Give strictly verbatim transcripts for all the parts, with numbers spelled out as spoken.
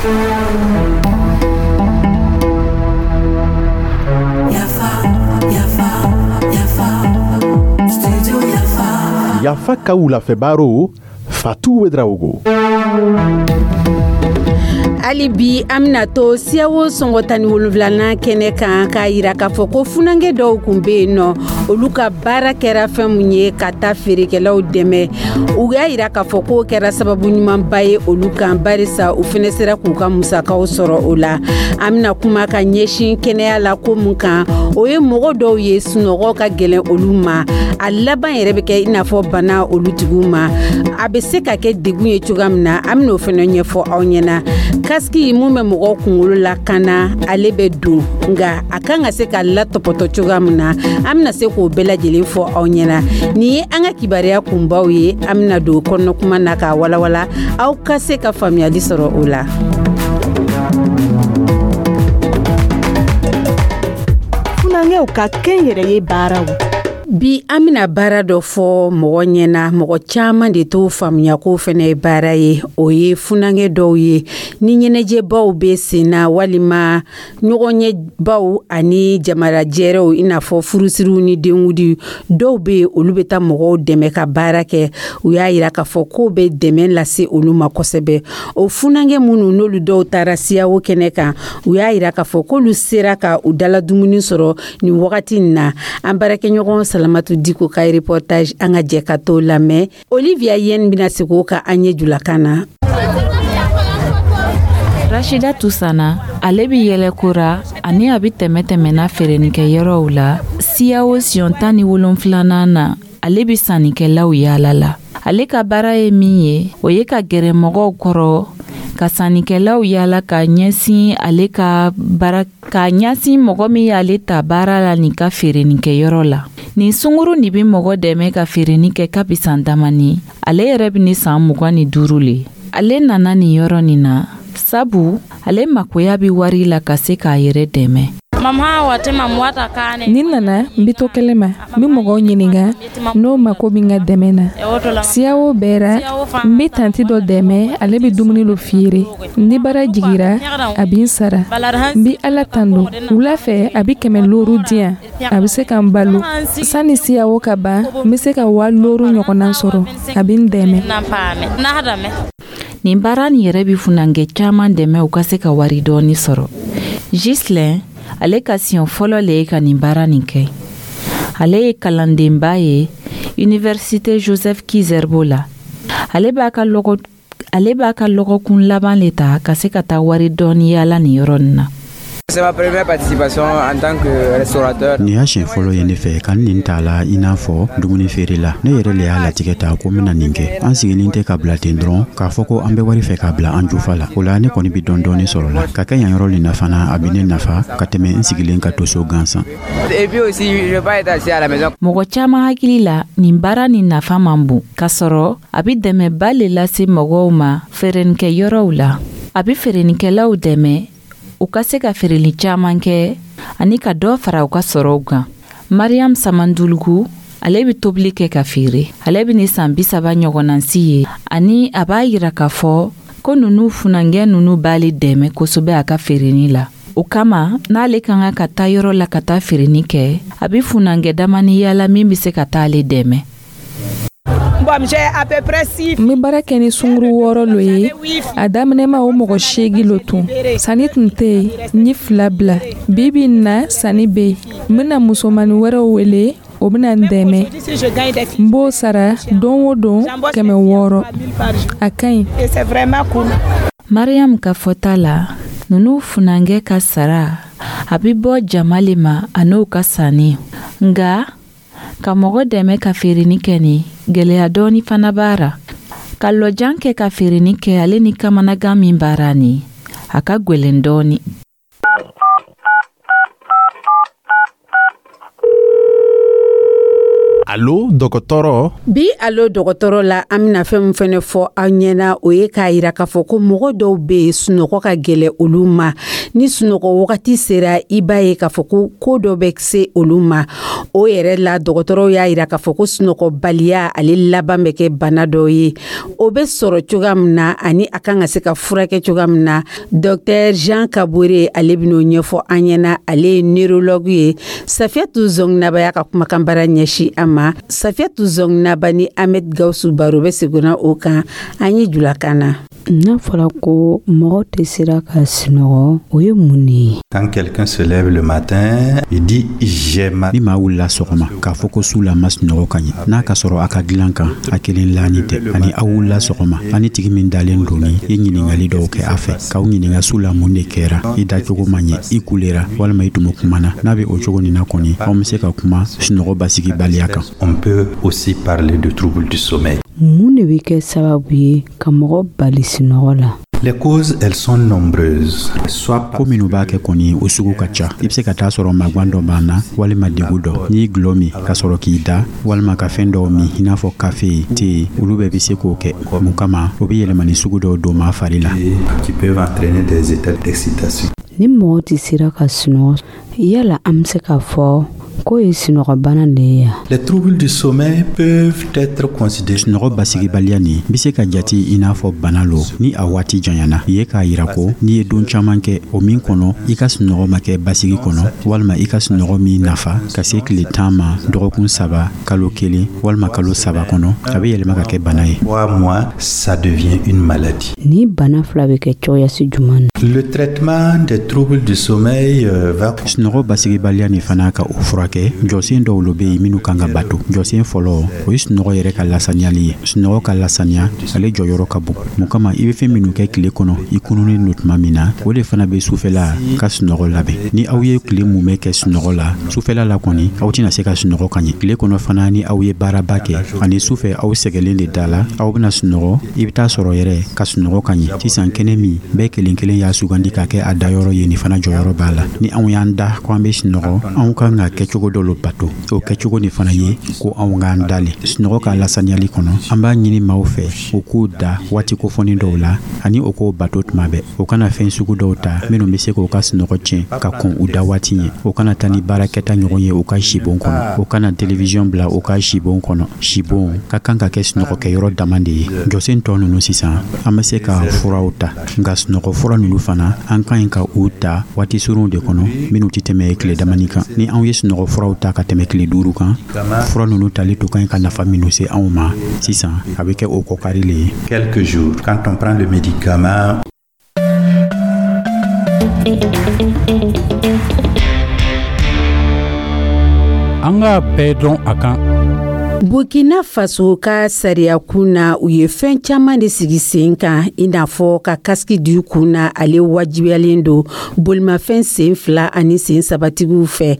Yafa, yafa, yafa, studio Yafa. Yafa ka wulafɛ Fatou Ouédraogo. Hali bi, an bena to CEDEAO sɔngɔ tan ni wolonfilanan kɛnɛ kan, k'a yira k'a fɔ ko funankɛ dɔw kun be yen nɔ, olu ka baara kɛra fɛn mun ye, ka taa feerekɛlaw dɛmɛ. U y'a yira k'a fɔ k'o kɛra sababu ɲumanba ye olu kan, barisa u fɛnɛ sera k'u ka musakaw sɔrɔ o la. An bena kuma ka ɲɛsin kɛnɛya la ko mun kan, o ye mɔgɔ dɔw ye, sunɔgɔ ka gwɛlɛn olu ma, a laban yɛrɛ bɛ kɛ i n'a fɔ bana olu tigiw ma. A bɛ se ka kɛ degun ye cogoya min na, an ben'o fɛnɛ ɲɛfɔ aw ɲɛna. Casque mun bɛ mɔgɔw kunkolo la kana, ale bɛ don, nka a kan ka se ka latɔpɔtɔ cogoya min na, an bena se k'o bɛɛ lajɛlen fɔ aw ɲɛna. Nin ye an ka kibaruya kunbaw ye. An bena don kɔnɔkuma na k'a walawala, aw ka se ka faamuyali sɔrɔ o la. Funankɛw ka kɛnyɛrɛye baaraw. Bi, an bena baara dɔ fɔ mɔgɔ ɲɛna, mɔgɔ caaman de t'o faamuya k'o fɛnɛ ye baara ye. O ye funankɛ dɔw ye, ni ɲɛnajɛbaw be sen na, walima ɲɔgɔnɲɛbaw ani jamarajɛrɛw, i n'a fɔ furusiriw ni denwudi dɔw be yen, olu be taa mɔgɔw dɛmɛ ka baara kɛ. U y'a yira k'a fɔ k'o bɛ dɛmɛ lase olu ma kosɛbɛ. O funankɛ minnu n'olu dɔw taara CEDEAO kɛnɛ kan, u y'a yira k'a fɔ k'olu sera ka u dala dumuni sɔrɔ nin wagati in na. An baarakɛɲɔgɔn Salamatu Diko ka reportage, an ka jɛ ka t'o lamɛn. Olivia Yen bɛna segin o kan an ye julakan na. Rashida Tusana, ale bɛ yɛlɛkora ani a bɛ tɛmɛ tɛmɛna feerenikɛyɔrɔw la CEDEAO siɲɛ tan ni wolonfilanan na. Ale bɛ sannikɛlaw yaala la. Ale ka baara ye min ye, o ye ka gɛrɛ mɔgɔw kɔrɔ, ka sannikɛlaw yaala, ka ɲɛsin ale ka baara, ka ɲɛsin mɔgɔ min y'ale ta baara la nin ka feerenikɛyɔrɔ la. Nin sunguru nin bɛ mɔgɔ dɛmɛ ka feereni kɛ kabi san damani. Ale yɛrɛ bɛ ni san mugan ni duuru le. Ale nana nin yɔrɔ nin na sabu ale makoya bɛ wari la ka se k'a yɛrɛ dɛmɛ. Ni nana, n bɛ to kɛlɛ ma, n bɛ mɔgɔw ɲininka n'o mako bɛ n ka dɛmɛ na. CEDEAO bɛɛ ra, n bɛ tantie dɔ dɛmɛ, ale bɛ dumuni lo feere. Ni baara jigira, a bɛ n sara. N bɛ Ala tando. Wula fɛ, a bɛ kɛmɛ looru di yan, a bɛ se ka n balo. Sani CEDEAO ka ban, n bɛ se ka waa looru ɲɔgɔnna sɔrɔ. A bɛ n dɛmɛ. Nin baara nin yɛrɛ bɛ funankɛ caman dɛmɛ u ka se ka wari dɔɔni sɔrɔ. Gislin, ale ka siɲɛ fɔlɔ le ye ka nin baara nin kɛ. Ale ye kalandenba ye Université Joseph Ki-Zerbo la. Ale b'a ka lɔgɔ ale b'a ka lɔgɔkun laban le ta ka se ka taa wari dɔɔni yaala nin yɔrɔ nin na. C'est ma première participation en tant que restaurateur. Nin y'a siɲɛ fɔlɔ ye ne fɛ ka nin t'a la i n'a fɔ dumuni feere la. Ne yɛrɛ le y'a latigɛ ta ko n bɛna nin kɛ. An sigilen tɛ ka bila ten dɔrɔn k'a fɔ ko an bɛ wari fɛ k'a bila an jufa la. O la, ne kɔni bɛ dɔɔni dɔɔni sɔrɔ la ka kɛ yan yɔrɔ nin na fana. A bɛ ne nafa ka tɛmɛ n sigilen ka to so gansan. Et puis aussi, je vais pas être assis à la maison. Mɔgɔ caman hakili la, nin baara nin nafa man bon, k'a sɔrɔ a bɛ dɛmɛba le lase mɔgɔw ma feerenikɛyɔrɔw la. A bɛ feerenikɛlaw dɛmɛ u ka se ka feereli caman kɛ ani ka dɔ fara u ka sɔrɔw kan. Mariam Samandulugu, ale bɛ tobili kɛ ka feere. Ale bɛ ni san bi saba ɲɔgɔnnansi ye, ani a b'a yira k'a fɔ ko nunu funankɛ nunu b'ale dɛmɛ kosɛbɛ a ka feereni la. O kama, n'ale ka kan ka taa yɔrɔ la ka taa feereni kɛ, a bɛ funankɛ damani yaala min bɛ se ka taa ale dɛmɛ. N bɛ baara kɛ ni sunguru wɔɔrɔ lo ye. A daminɛma, o mɔgɔ seegin lo tun. Sanni tun tɛ yen, n ye fila bila. Bi bi in na, sanni bɛ yen. N bɛna musomanin wɛrɛw wele, o bɛna n dɛmɛ. N b'o sara don o don kɛmɛ wɔɔrɔ. A ka ɲi. Mariam ka fɔta la, nunu funankɛ ka sara a bɛ bɔ jama le ma a n'o ka sanni. Nga ka mɔgɔ dɛmɛ ka feereni kɛ nin, gwɛlɛya dɔɔni fana b'a ra. Ka lɔjan kɛ ka feereni kɛ, ale ni kamanagan min b'ara nin, a ka gwɛlɛn dɔɔni. Alo dɔgɔtɔrɔ. Bi Alo dɔgɔtɔrɔ la, an bɛna fɛn min fɛnɛ fɔ aw ɲɛna, o ye k'a yira k'a fɔ ko mɔgɔ dɔw bɛ yen, sunɔgɔ ka gɛlɛ olu ma. Ni sunɔgɔ wagati sera, i b'a ye k'a fɔ ko ko dɔ bɛ se olu ma. O yɛrɛ la, dɔgɔtɔrɔw y'a yira k'a fɔ ko sunɔgɔbaliya, ale laban bɛ kɛ bana dɔ ye. O bɛ sɔrɔ cogoya min na ani a kan ka se ka furakɛ cogoya min na, docteur Jean Kabore, ale bɛn'o ɲɛfɔ an ɲɛna. Ale ye neurologue ye. Safiyatu Zɔnginaba y'a ka kumakan bara ɲɛsin an ma. Safiyatu Zɔnginaba ni Ahmed Gawusu baro bɛ seginna o kan an ye julakan na. N'a fɔra ko mɔgɔ tɛ sera ka sunɔgɔ, o ye mun de ye? Quand quelqu'un se lève le matin, il dit j'ai mal. Ni maa wulila sɔgɔma k'a fɔ ko su la ma sunɔgɔ ka ɲɛ, n'a ka sɔrɔ a ka dilan kan a kelen laani tɛ, ani aw wulila sɔgɔma, ani tigi min dalen don, ni i ɲiningali dɔw kɛ a fɛ, k'aw ɲininga su la mun de kɛra, i dacogo ma ɲɛ, i kulera walima i tumu kumana, n'a bɛ o cogo nin na kɔni, anw bɛ se ka kuma sunɔgɔ basigibaliya kan. On peut aussi parler de troubles du sommeil. Mun de bɛ kɛ sababu ye ka mɔgɔ bali sunɔgɔ la? Les causes, elles sont nombreuses. Soit Ko minnu b'a kɛ kɔni, o sugu ka ca. I be se ka taa sɔrɔ magwan dɔ b'an na walima degu dɔ. N'i gulɔ min ka sɔrɔ k'i da, walima ka fɛn dɔw min i n'a fɔ kafe, te, olu bɛɛ be se k'o kɛ. Mun kama, o be yɛlɛmani sugu dɔw don maa fari la. Qui peuvent entraîner des états d'excitation. Ni mɔgɔ tɛ sera ka sunɔgɔ, yala an bɛ se k'a fɔ k'o ye sunɔgɔbana de ye ya? Les troubles du sommeil peuvent être considérés Sunɔgɔ basigibaliya nin be se ka jati i n'a fɔ bana lo ni a waati janyana ye, k'a yira ko n'i ye don caaman kɛ o min kɔnɔ, i ka sunɔgɔ ma kɛ basigi kɔnɔ, walima i ka sunɔgɔ min nafa ka se tile tan ma, dɔgɔkun saba, kalo kelen walima kalo saba kɔnɔ, a be yɛlɛma ka kɛ bana ye. Trois mois, ça devient une maladie. Ni bana fila bɛ kɛ cogoyasi juman na? Le traitement des troubles du sommeil euh, va Sunɔgɔ basigibaliya nin fana, ka o furakɛ, jɔsen dɔw lo be yen minnu kan ka bato. Jɔsen fɔlɔ, o ye sunɔgɔ yɛrɛ ka lasaniyali ye. Sunɔgɔ ka lasaniya, ale jɔyɔrɔ ka bon. Mun kama, i be fɛn minnu kɛ tile kɔnɔ, i kununnen don tuma min na, o de fana be sufɛla ka sunɔgɔ labɛn. Ni aw ye tile mumɛ kɛ sunɔgɔ la, sufɛla la kɔni aw tɛna se ka sunɔgɔ ka ɲɛ. Tile kɔnɔ fana, ni aw ye baaraba kɛ ani sufɛ aw sɛgɛlen de da la, aw bena sunɔgɔ, i be taa sɔrɔ yɛrɛ ka sunɔgɔ ka ɲɛ. Sisan kɛnɛ min bɛɛ kelen kelen y'a sugandi ka kɛ a dayɔrɔ ye, nin fana jɔyɔrɔ b'a la. Ni anw y'an da ko an be sunɔgɔ, anw kan ka kɛcogo dɔ lo bato. O kɛcogo nin fana ye ko anw k'an dale. Sunɔgɔ ka lasaniyali kɔnɔ, an b'a ɲini maaw fɛ u k'u da waati kofɔni dɔw la ani o k'o bato tuma bɛɛ. O kana fɛn sugu dɔw ta minnu be se k'u ka sunɔgɔ tiɲɛ ka kɔn u da waati ɲɛ. O kana taa ni baarakɛta ɲɔgɔn ye u ka sibon kɔnɔ. O kana télévision bila u ka sibon kɔnɔ. Sibon ka kan ka kɛ sunɔgɔkɛyɔrɔ dama de ye. Jɔsen tɔ ninnu sisan, an be se ka furaw ta, nka sunɔgɔ fura ninnu fana, an ka ɲi ka u ta waati surunw de kɔnɔ minnu tɛ tɛmɛ tile damani kan. Ni anw ye sunɔgɔ furaw ta ka tɛmɛ tile duuru kan, fura ninnu tali to ka ɲi ka nafa minnu se anw ma sisan, a bɛ kɛ o kɔkari le ye. Quelques jours. Quand on prend le médicament, An k'a bɛɛ dɔn a kan. Burkina Faso ka sariya kun na, u ye fɛn caman de sigi sen kan, i n'a fɔ ka kasiki di kun na, ale wajibiyalen don bolimafɛn sen fila ani sen sabatigiw fɛ.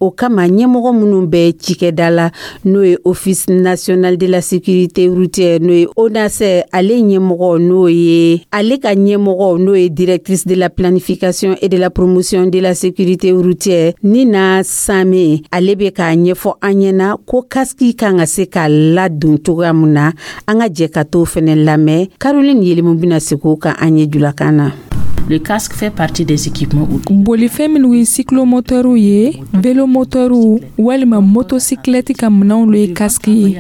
O kama, ɲɛmɔgɔ minnu bɛ cikɛda la, n'o ye Office national de la sécurité routière, n'o ye ONASER, ale ɲɛmɔgɔ, n'o ye ale ka ɲɛmɔgɔ, n'o ye directrice de la planification et de la promotion de la sécurité routière, Nina Same, ale bɛ k'a ɲɛfɔ an ɲɛna ko kasiki kan ka se ka ladon cogoya min na. An ka jɛ ka t'o fɛnɛ lamɛn. Caroline Yelimu bɛna segin o kan an ye julakan na. Le casque fait partie des équipements. Bolifɛn minnu ye cyclomoteurs ye, vélomoteurs walima motocyclette ka minɛnw lo ye kasiki ye.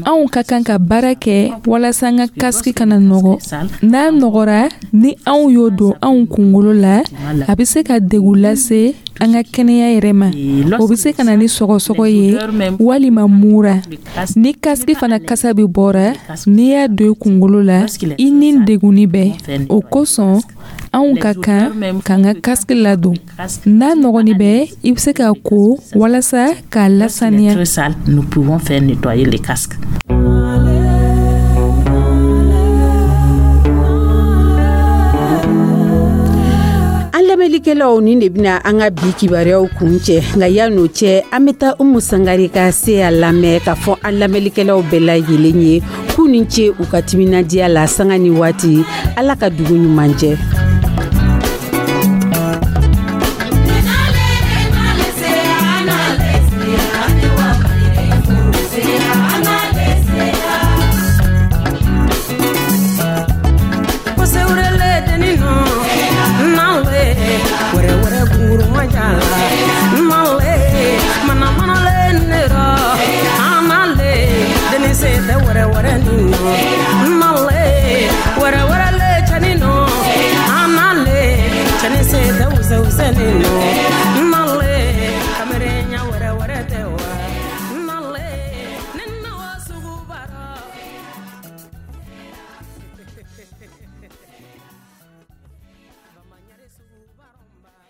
Anw ka kan ka baara kɛ walasa an ka kasiki kana nɔgɔ. N'a nɔgɔra, ni anw y'o don anw kunkolo la, a bɛ se ka degun lase an ka kɛnɛya yɛrɛ ma. O bɛ se ka na ni sɔgɔsɔgɔ ye walima mura. Ni kasiki fana kasa bɛ bɔra, n'i y'a don i kunkolo la, i ni degunni bɛɛ. O kosɔn, anw ka kan k'an ka kasiki ladon. N'a nɔgɔni bɛ, i bɛ se ka ko walasa k'a lasaniya. Très sale, nous pouvons faire nettoyer les casques. An lamɛnlikɛlaw, nin de bɛna an ka bi kibaruyaw kun cɛ. Nka yan'o cɛ, an bɛ taa Umu Sangare ka se a lamɛn k'a fɔ an lamɛnlikɛlaw bɛɛ lajɛlen ye k'u ni ce u ka timinadiya la sanga ni waati. Ala ka dugu ɲuman jɛ.